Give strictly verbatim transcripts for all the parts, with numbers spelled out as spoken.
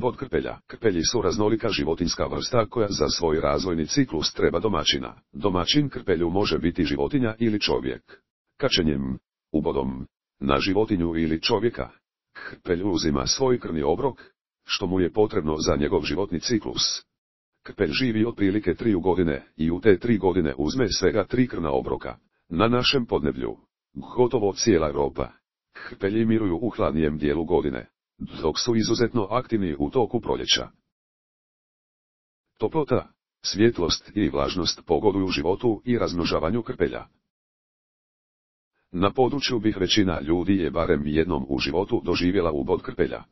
ubod krpelja. Krpelji su raznolika životinjska vrsta koja za svoj razvojni ciklus treba domaćina. Domaćin krpelju može biti životinja ili čovjek. Kačenjem, ubodom, na životinju ili čovjeka, krpelj uzima svoj krvni obrok, što mu je potrebno za njegov životni ciklus. Krpelj živi otprilike tri godine i u te tri godine uzme svega tri krvna obroka. Na našem podneblju, gotovo cijela Europa, krpelji miruju u hladnijem dijelu godine, dok su izuzetno aktivni u toku proljeća. Toplota, svjetlost i vlažnost pogoduju životu i razmnožavanju krpelja. Na području bih većina ljudi je barem jednom u životu doživjela ubod krpelja.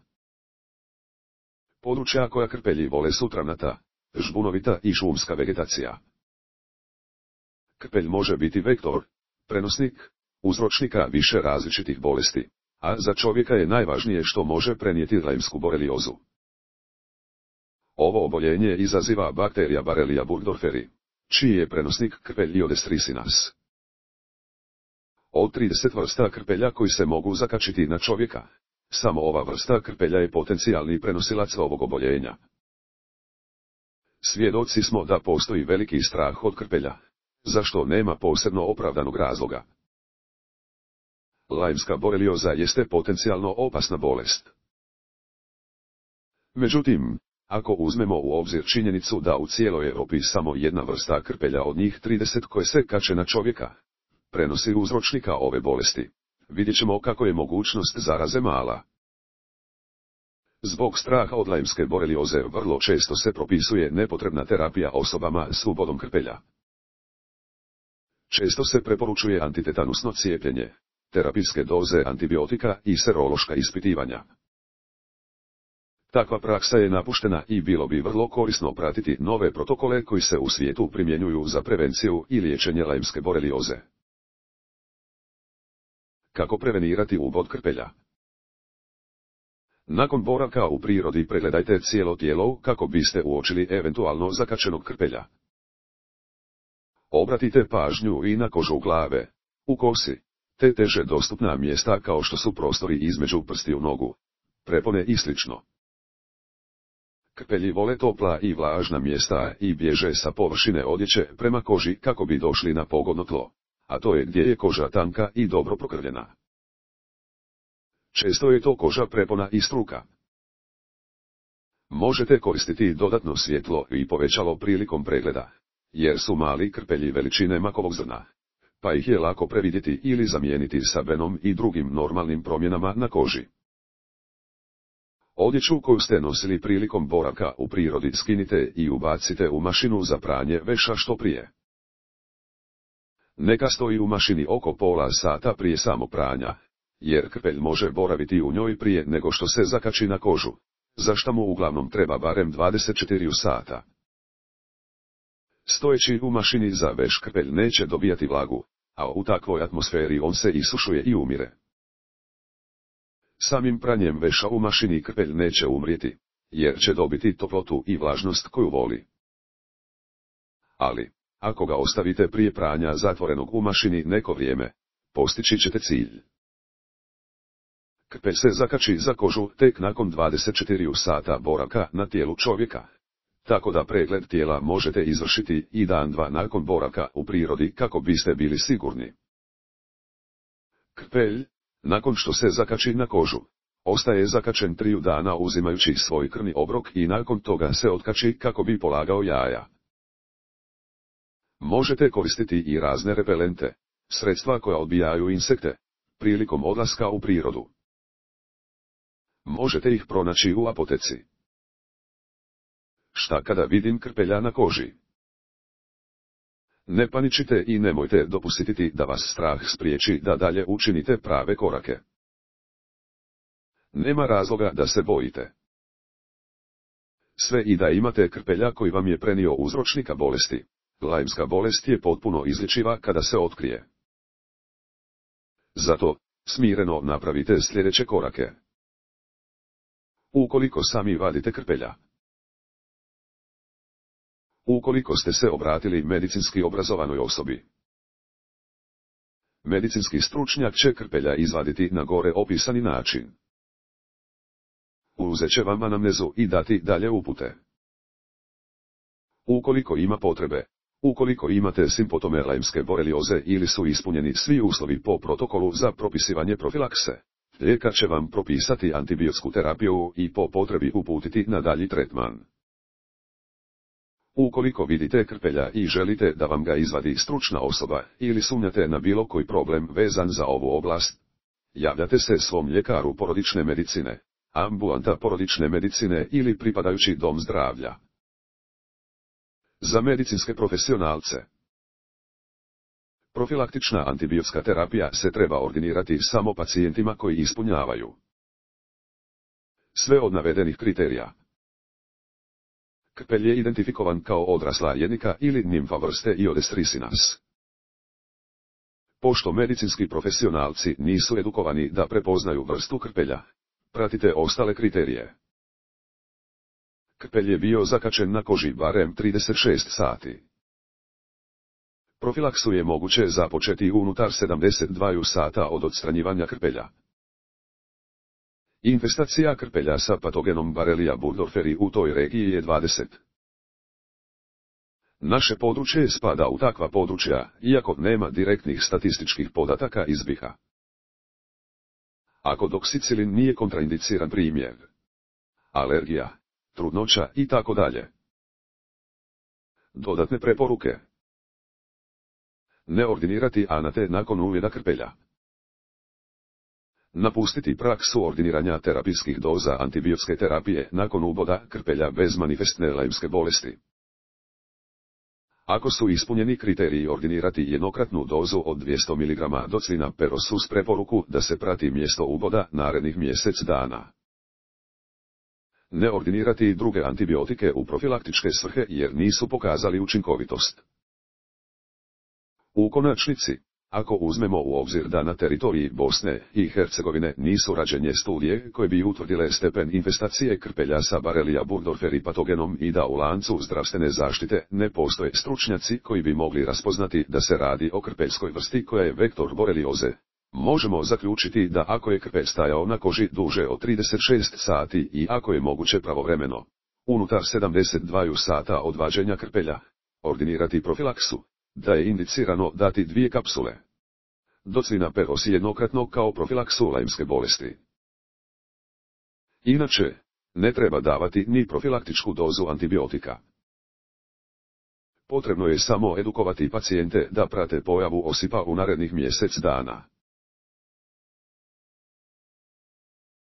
Područja koja krpelji vole su travnata, žbunovita i šumska vegetacija. Krpelj može biti vektor, prenosnik, uzročnika više različitih bolesti, a za čovjeka je najvažnije što može prenijeti Lyme'sku boreliozu. Ovo oboljenje izaziva bakterija Borrelia burgdorferi, čiji je prenosnik krpelj Iodes tricinas. Od trideset vrsta krpelja koji se mogu zakačiti na čovjeka, samo ova vrsta krpelja je potencijalni prenosilac ovog oboljenja. Svjedoci smo da postoji veliki strah od krpelja, zašto nema posebno opravdanog razloga. Lyme'ska borelioza jeste potencijalno opasna bolest. Međutim, ako uzmemo u obzir činjenicu da u cijeloj Europi samo jedna vrsta krpelja od njih trideset koje se kače na čovjeka prenosi uzročnika ove bolesti, vidjet ćemo kako je mogućnost zaraze mala. Zbog straha od Lyme'ske borelioze vrlo često se propisuje nepotrebna terapija osobama s ubodom krpelja. Često se preporučuje antitetanusno cijepljenje, terapijske doze antibiotika i serološka ispitivanja. Takva praksa je napuštena i bilo bi vrlo korisno pratiti nove protokole koji se u svijetu primjenjuju za prevenciju i liječenje Lyme'ske borelioze. Kako prevenirati ubod krpelja? Nakon boravka u prirodi pregledajte cijelo tijelo kako biste uočili eventualno zakačenog krpelja. Obratite pažnju i na kožu glave, u kosi, te teže dostupna mjesta kao što su prostori između prstiju nogu, prepone i slično. Krpelji vole topla i vlažna mjesta i bježe sa površine odjeće prema koži kako bi došli na pogodno tlo, a to je gdje je koža tanka i dobro prokrvljena. Često je to koža prepona i struka. Možete koristiti dodatno svjetlo i povećalo prilikom pregleda, jer su mali krpelji veličine makovog zrna, pa ih je lako previdjeti ili zamijeniti sa venom i drugim normalnim promjenama na koži. Odjeću koju ste nosili prilikom boravka u prirodi skinite i ubacite u mašinu za pranje veša što prije. Neka stoji u mašini oko pola sata prije samog pranja, jer krpelj može boraviti u njoj prije nego što se zakači na kožu, za što mu uglavnom treba barem dvadeset četiri sata. Stojeći u mašini za veš krpelj neće dobijati vlagu, a u takvoj atmosferi on se isušuje i umire. Samim pranjem veša u mašini krpelj neće umrijeti, jer će dobiti toplotu i vlažnost koju voli. Ali, ako ga ostavite prije pranja zatvorenog u mašini neko vrijeme, postići ćete cilj. Krpelj se zakači za kožu tek nakon dvadeset četiri sata boravka na tijelu čovjeka, tako da pregled tijela možete izvršiti i dan dva nakon boravka u prirodi kako biste bili sigurni. Krpelj, nakon što se zakači na kožu, ostaje zakačen triju dana uzimajući svoj krvni obrok i nakon toga se otkači kako bi polagao jaja. Možete koristiti i razne repelente, sredstva koja odbijaju insekte, prilikom odlaska u prirodu. Možete ih pronaći u apoteci. Šta kada vidim krpelja na koži? Ne paničite i nemojte dopustiti da vas strah spriječi da dalje učinite prave korake. Nema razloga da se bojite. Sve i da imate krpelja koji vam je prenio uzročnika bolesti, Lyme'ska bolest je potpuno izlječiva kada se otkrije. Zato, smireno napravite sljedeće korake. Ukoliko sami vadite krpelja. Ukoliko ste se obratili medicinski obrazovanoj osobi. Medicinski stručnjak će krpelja izvaditi na gore opisani način. uzet će vam anamnezu i dati dalje upute. Ukoliko ima potrebe, ukoliko imate simptome lajmske borelioze ili su ispunjeni svi uslovi po protokolu za propisivanje profilakse, lijekar će vam propisati antibiotsku terapiju i po potrebi uputiti na dalji tretman. Ukoliko vidite krpelja i želite da vam ga izvadi stručna osoba ili sumnjate na bilo koji problem vezan za ovu oblast, javljate se svom ljekaru porodične medicine, ambulanta porodične medicine ili pripadajući dom zdravlja. Za medicinske profesionalce. Profilaktična antibiotska terapija se treba ordinirati samo pacijentima koji ispunjavaju sve od navedenih kriterija. Krpelj je identifikovan kao odrasla jednika ili nimfa vrste Iodes ricinas. Pošto medicinski profesionalci nisu edukovani da prepoznaju vrstu krpelja, pratite ostale kriterije. Krpelj je bio zakačen na koži barem trideset šest sati. Profilaksu je moguće započeti unutar sedamdeset dva sata od odstranjivanja krpelja. Infestacija krpelja sa patogenom Borrelia burgdorferi u toj regiji je dvadeset. Naše područje spada u takva područja, iako nema direktnih statističkih podataka iz B i H-a. Ako doksicilin nije kontraindiciran primjer, alergija, trudnoća i tako dalje. Dodatne preporuke. Ne ordinirati anate nakon uvida krpelja. Napustiti praksu ordiniranja terapijskih doza antibiotske terapije nakon uboda krpelja bez manifestne lajmske bolesti. Ako su ispunjeni kriteriji ordinirati jednokratnu dozu od dvjesto miligrama docilina peros uz preporuku da se prati mjesto uboda narednih mjesec dana. Ne ordinirati druge antibiotike u profilaktičke svrhe jer nisu pokazali učinkovitost. U konačnici, ako uzmemo u obzir da na teritoriji Bosne i Hercegovine nisu rađene studije koje bi utvrdile stepen infestacije krpelja sa Borrelia burgdorferi patogenom i da u lancu zdravstvene zaštite ne postoje stručnjaci koji bi mogli raspoznati da se radi o krpeljskoj vrsti koja je vektor borelioze, možemo zaključiti da ako je krpelj stajao na koži duže od trideset šest sati i ako je moguće pravovremeno, unutar sedamdeset dva sata od vađenja krpelja, ordinirati profilaksu, da je indicirano dati dvije kapsule docilina peros jednokratno kao profilaksu lajmske bolesti. Inače, ne treba davati ni profilaktičku dozu antibiotika. Potrebno je samo edukovati pacijente da prate pojavu osipa u narednih mjesec dana.